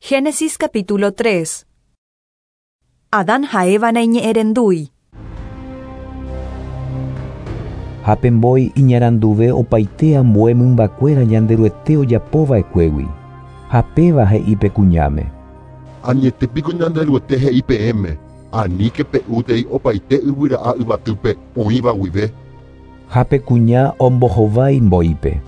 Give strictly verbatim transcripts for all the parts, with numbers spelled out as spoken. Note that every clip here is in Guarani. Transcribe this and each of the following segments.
Génesis capítulo tres. Adán ha Eva naiñe'ẽrendúi. Ha pe mbói iñaranduve opaite ambue mymbakuéra Ñanderuete ojapova'ekuégui. Ha péva he'i pe kuñáme. Añetépiko Ñanderuete he'i peẽme, aníke pe'útei opaite yvyra'a yvatýpe oĩva guive. Ha pe kuña ombohovái mbóipe.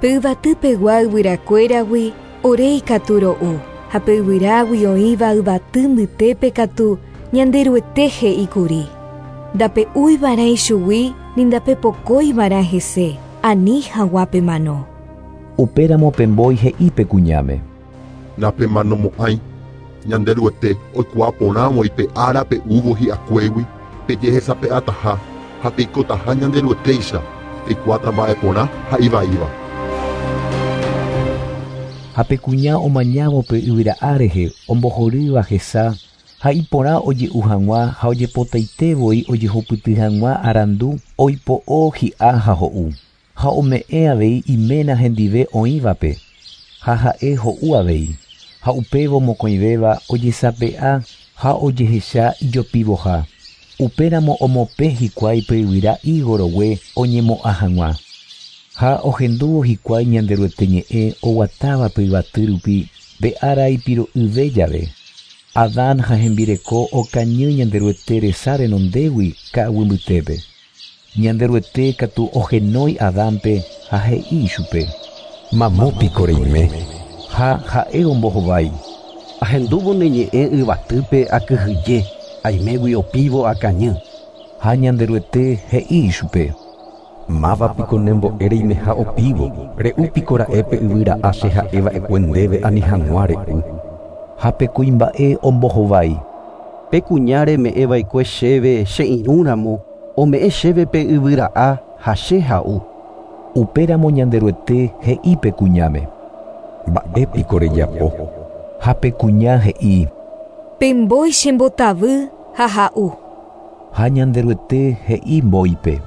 Pe yvatýpegua yvyrakuéragui ore ikatu ro'u, ha pe yvyrágui oĩva yvaty mbytépe katu Ñanderuete he'íkuri. Ndape'úiva'erã ichugui ni ndapepokóiva'erã hese, ani hag̃ua pemano. Upéramo pe mbói he'i pe kuñáme. Napemanomo'ãi, Ñanderuete oikuaa porãvoi pe ára pe'úvo hi'akuégui pejehesape'ataha ha peikotaha Ñanderuetéicha, peikuaáta mba'e porã ha ivaíva. Ha pe kuña omañávo pe yvyra'a rehe ombohorýva hesa ha iporã oje'u hag̃ua ha ojepotaitevoi ojehupyty hag̃ua arandu oipo'o hi'a ha ho'u ha ome'ẽ avei iména hendive oĩvape ha ha'e ho'u avei ha upévo mokõivéva ojesape'a ha ojehecha ijopivoha. Upéramo omopẽ hikuái pe yvyra higo rogue oñemo'ã hag̃ua. Ha ohendúvo hikuái Ñanderuete ñe'ẽ oguatáva pe yvaty rupi pe ára ipiro'yve jave. Adán ha hembireko okañy Ñanderuete resa renondégui ka'aguy mbytépe. Ñanderuete katu ohenói Adánpe ha he'i ichupe. Mamópiko reime. Ha ha'e ombohovái. Ahendúvo ne ñe'ẽ yvatýpe akyhyje, aimégui opívo akañy. Ha Ñanderuete he'i ichupe. Mávapiko nembo'e reimeha opívo, re'úpiko ra'e pe yvyra'a che ha'eva'ekue ndéve ani hag̃ua re'u. Ha pe kuimba'e ombohovái. Pe kuña reme'ẽva'ekue chéve che irũramo, ome'ẽ chéve pe yvyra'a ha che ha'u. Upéramo Ñanderuete he'i pe kuñáme. Mba'épiko rejapo. Ha pe kuña he'i. Pe mbói chembotavy ha ha'u. Ha Ñanderuete he'i mbóipe.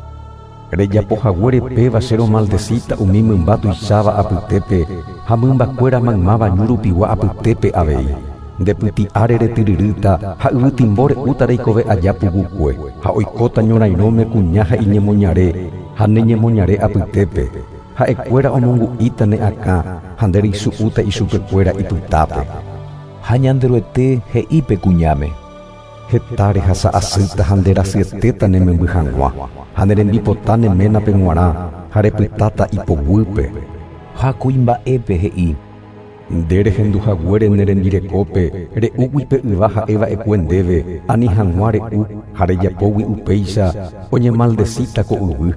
Rejapohaguére péva che romaldecita umi mymba tuicháva apytépe ha mymbakuéra maymáva ñu rupigua apytépe avei. Ndepyti'áre retyryrýta ha yvytimbo re'úta reikove aja pukukue ha oikóta ñorairõme kuña ha iñemoñare ha ne ñemoñare apytépe. Ha'ekuéra omongu'íta ne akã ha nde reisu'úta ichupekuéra ipytápe. Ha Ñanderuete he'i pe kuñáme. Heta rehasa asýta ha nderasyetéta ne memby hag̃ua ha ne rembipota ne ménape g̃uarã ha repytáta ipoguýpe. Ha kuimba'épe he'i. Nde rehenduhaguére ne rembirekópe re'úgui pe yva ha'eva'ekue ndéve ani hag̃ua re'u ha rejapógui upéicha oñemaldecíta ko yvy.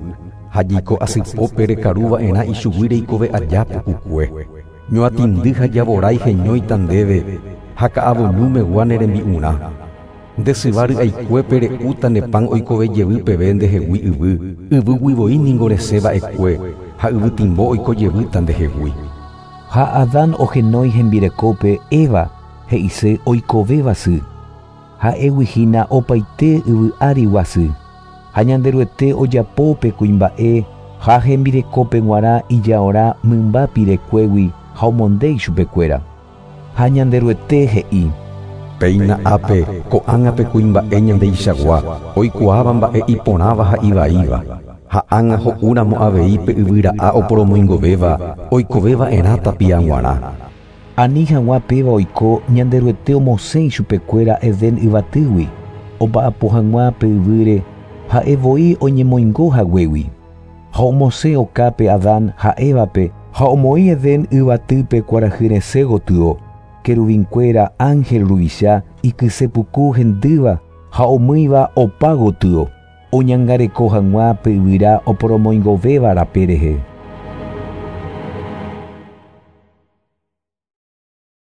Ha jiko asypópe rekaruva'erã ichugui reikove aja pukukue. Ñoatĩndy ha javorái heñóita ndéve ha ka'avoñúmegua ne rembi'urã. Nde syva ry'aikuépe re'úta ne pan oikove jevy peve ndehegui yvy, yvýgui voi ningo resẽva'ekue ha yvytimbo oiko jevýta ndehegui. Ha Adán ohenói hembirekópe Eva he'ise oikovéva sy. Ha'égui hína opaite yvy árigua sy. Ha Ñanderuete ojapo pe kuimba'e ha hembirekópe g̃uarã ijaorã mymba pirekuégui ha omonde ichupekuéra. Ha Ñanderuete he'i. Péina ápe ko'ág̃a pe kuimba'e ñandeichagua oikuaáva mba'e iporãva ha ivaíva. Ha ág̃a ho'úramo avei pe yvyra'a oporomoingovéva oikoveva'erã tapia g̃uarã. Ani hag̃ua péva oiko Ñanderuete omosẽ ichupekuéra Edén yvatýgui omba'apo hag̃ua pe yvýre ha'e voi oñemoingo haguégui. Ha omosẽ okápe Adán ha Évape ha omoĩ Edén yvatýpe kuarahy resẽ gotyo. Querubinkuéra ángel ruvicha ikysepuku hendýva ha omýiva opa gotyo oñangareko hag̃ua pe yvyra oporomoingovéva rape rehe.